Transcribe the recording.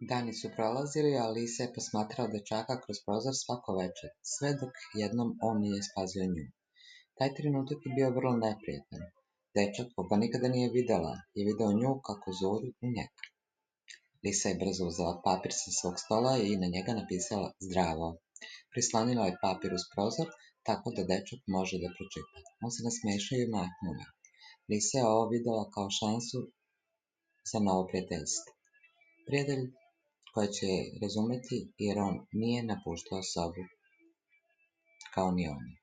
Dani su prolazili, a Lisa je posmatrao dečaka kroz prozor svako večer, sve dok jednom on nije spasio nju. Taj trenutak je bio vrlo neprijatan. Dečak, koga nikada nije videla, je video nju kako zuru u njega. Lisa je brzo uzela papir sa svog stola i na njega napisala zdravo. Prislonila je papir uz prozor, tako da dečak može da pročita. On se nasmešao i mahnuo me. Lisa je ovo videla kao šansu za novo prijateljstvo. Prijatelj koja će razumeti jer on nije napuštao sobu kao ni ona.